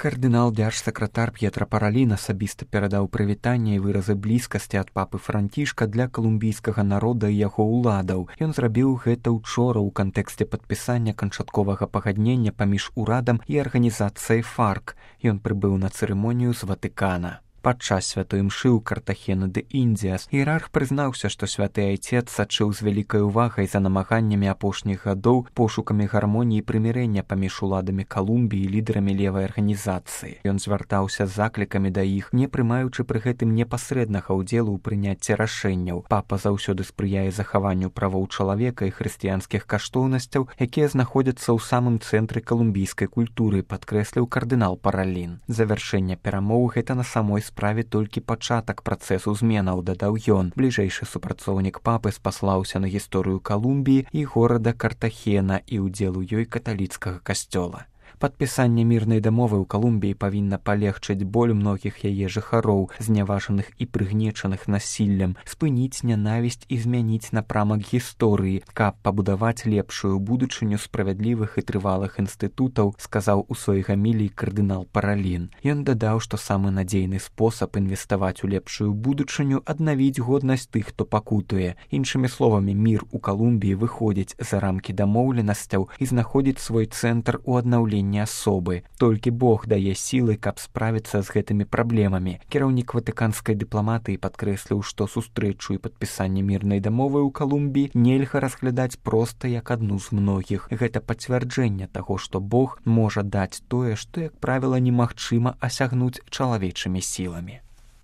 Кардынал дзяржсакратар П'етра Паралін асабіста перадаў прывітанне і выразы блізкасці ад папы Францішка для калумбійскага народа і яго ўладаў. Ён зрабіў гэта ўчора ў кантэксце падпісання канчатковага пагаднення паміж урадам і арганізацыяй ФАРК. Ён прыбыў на цырымонію з Ватыкана. Падчас святой імшы ў Картахена де Індзіас іерарх прызнаўся, што святы айцец сачыў з вялікай увагай за намаганнямі апошніх гадоў пошукамі гармоніі і прымірэння паміж уладамі Калумбіі і лідарамі левай арганізацыі. Ён звяртаўся з заклікамі да іх, не прымаючы пры гэтым непасрэднага ўдзелу ў прыняцці рашэнняў. Папа заўсёды спрыяе захаванню правоў чалавека і хрысціянскіх каштоўнасцяў, якія знаходзяцца ў самым цэнтры калумбійскай культуры, падкрэсліў кардынал Паралін. Завяршэнне перамоў гэта на самой справе толькі пачатак працэсу зменаў, дадаў ён. Бліжэйшы супрацоўнік папы спаслаўся на гісторыю Калумбіі і горада Картахена і ўдзел у ёй каталіцкага касцёла. Падпісанне мірнай дамовы ў Калумбіі павінна палегчыць боль многіх яе жыхароў, зняважаных і прыгнечаных насіллем, спыніць нянавісць і змяніць напрамак гісторыі, каб пабудаваць лепшую будучыню справядлівых і трывалых інстытутаў, сказаў у сваёй гаміліі кардынал Паралін. Ён дадаў, што самы надзейны спосаб інвеставаць у лепшую будучыню — аднавіць годнасць тых, хто пакутуе. Іншымі словамі, мір у Калумбіі выходзіць за рамкі дамоўленасцяў і знаходзіць свой цэнтр у аднаўленні асобы. Толькі Бог дае сілы, каб справіцца з гэтымі праблемамі. Кіраўнік ватыканскай дыпламатыі падкрэсліў, што сустрэчу і падпісанне мірнай дамовы ў Калумбіі нельга разглядаць проста як адну з многіх. Гэта пацвярджэнне таго, што Бог можа даць тое, што, як правіла, немагчыма асягнуць чалавечымі сіламі.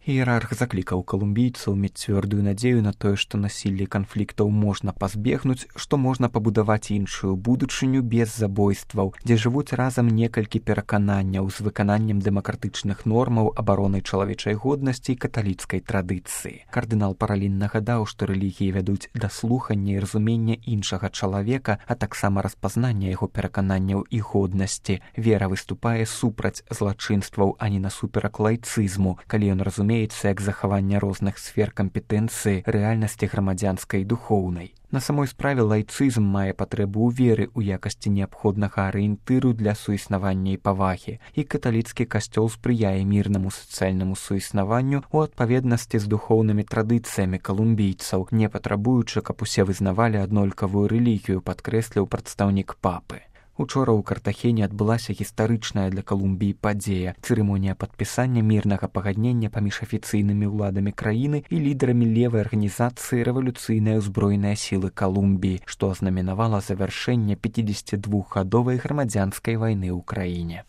Іерарх заклікаў калумбійцаў мець цвёрдую надзею на тое, што насілле і канфліктаў можна пазбегнуць, што можна пабудаваць іншую будучыню без забойстваў, дзе жывуць разам некалькі перакананняў з выкананнем дэмакратычных нормаў, абаронай чалавечай годнасці і каталіцкай традыцыі. Кардынал Паралін нагадаў, што рэлігіі вядуць да слухання і разумення іншага чалавека, а таксама распазнання яго перакананняў і годнасці. Вера выступае супраць злачынстваў, а не насуперак лайцызму, калі ён разумее як захаванне розных сфер кампетэнцыі рэальнасці грамадзянскай і духоўнай. На самой справе лайцызм мае патрэбу ў веры ў якасці неабходнага арыентыру для суіснавання і павагі, і каталіцкі касцёл спрыяе мірнаму сацыяльнаму суіснаванню ў адпаведнасці з духоўнымі традыцыямі калумбійцаў, не патрабуючы, каб усе вызнавалі аднолькавую рэлігію, падкрэсліў прадстаўнік папы. Учора ў Картахене адбылася гістарычная для Калумбіі падзея — цырымонія падпісання мірнага пагаднення паміж афіцыйнымі ўладамі краіны і лідарамі левай арганізацыі рэвалюцыйныя ўзброеныя сілы Калумбіі, што азнаменавала завяршэнне 52-гадовай грамадзянскай вайны ў краіне.